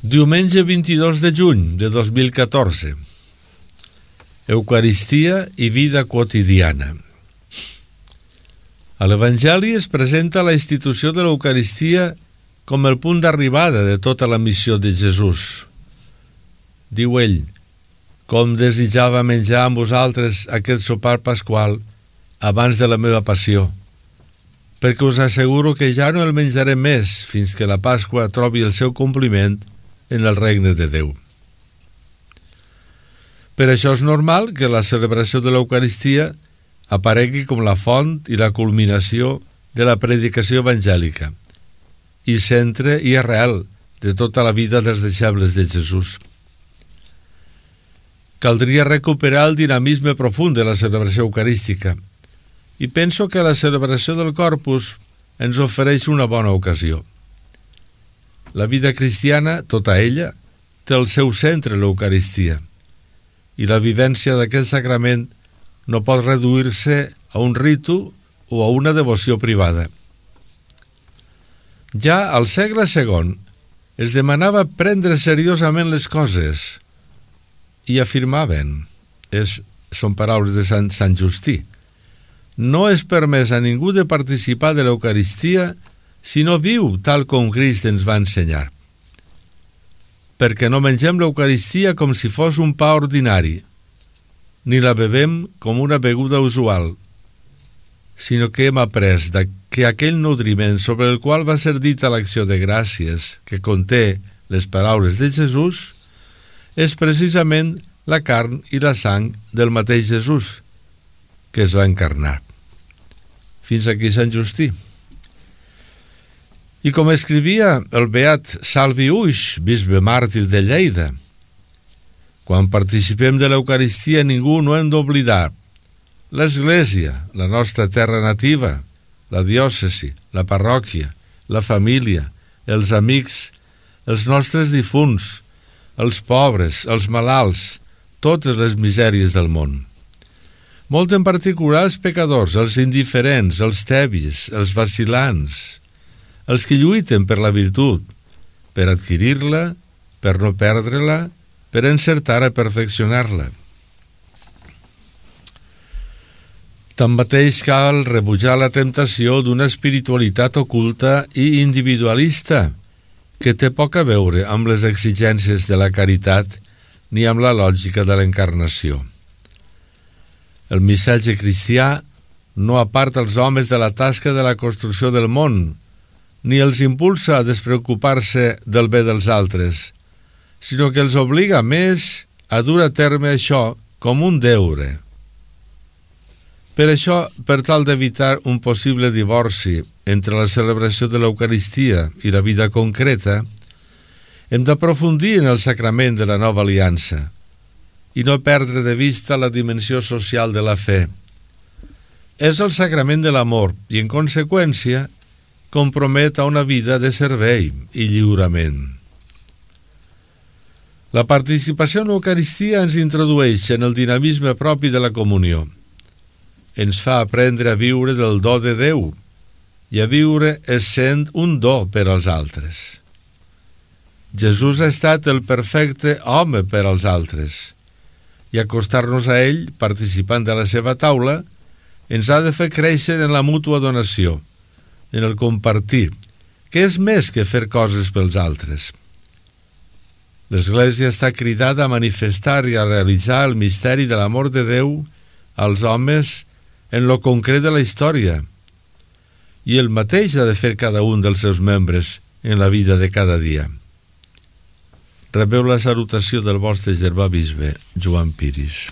Diumenge 22 de juny de 2014. Eucaristia i vida quotidiana. A l'Evangeli es presenta la institució de l'Eucaristia com el punt d'arribada de tota la missió de Jesús. Diu ell: com desitjava menjar amb vosaltres aquest sopar pasqual abans de la meva passió, perquè us asseguro que ja no el menjaré més fins que la Pasqua trobi el seu compliment en el regne de Déu. Per això és normal que la celebració de l'Eucaristia aparegui com la font i la culminació de la predicació evangèlica i centre i arrel de tota la vida dels deixebles de Jesús. Caldria recuperar el dinamisme profund de la celebració eucarística i penso que la celebració del Corpus ens ofereix una bona ocasió. La vida cristiana, tota ella, té el seu centre l'Eucaristia, i la vivència d'aquest sacrament no pot reduir-se a un ritu o a una devoció privada. Ja al segle II es demanava prendre seriosament les coses i afirmaven, són paraules de Sant Justí: no és permès a ningú de participar de l'Eucaristia si no viu tal com Crist ens va ensenyar. Perquè no mengem l'Eucaristia com si fos un pa ordinari, ni la bevem com una beguda usual, sinó que hem après que aquell nodriment sobre el qual va ser dita l'acció de gràcies que conté les paraules de Jesús és precisament la carn i la sang del mateix Jesús, que es va encarnar. Fins aquí Sant Justí. I com escrivia el beat Salvi Uix, bisbe màrtir de Lleida: quan participem de l'Eucaristia ningú no hem d'oblidar l'Església, la nostra terra nativa, la diòcesi, la parròquia, la família, els amics, els nostres difunts, els pobres, els malalts, totes les misèries del món. Molt en particular els pecadors, els indiferents, els tebis, els vacil·lants, els que lluiten per la virtut, per adquirir-la, per no perdre-la, per encertar a perfeccionar-la. Tanmateix cal rebutjar la temptació d'una espiritualitat oculta i individualista que té poc a veure amb les exigències de la caritat ni amb la lògica de l'encarnació. El missatge cristià no aparta els homes de la tasca de la construcció del món, ni els impulsa a despreocupar-se del bé dels altres, sinó que els obliga més a dur a terme això com un deure. Per això, per tal d'evitar un possible divorci entre la celebració de l'Eucaristia i la vida concreta, hem d'aprofundir en el sacrament de la nova aliança i no perdre de vista la dimensió social de la fe. És el sacrament de l'amor i, en conseqüència, compromet a una vida de servei i lliurament. La participació en l'Eucaristia ens introdueix en el dinamisme propi de la comunió. Ens fa aprendre a viure del do de Déu i a viure essent un do per als altres. Jesús ha estat el perfecte home per als altres, i acostar-nos a ell, participant de la seva taula, ens ha de fer créixer en la mútua donació, en el compartir, que és més que fer coses pels altres. L'Església està cridada a manifestar i a realitzar el misteri de l'amor de Déu als homes en lo concret de la història, i el mateix ha de fer cada un dels seus membres en la vida de cada dia. Rebeu la salutació del vostre germà bisbe, Joan Piris.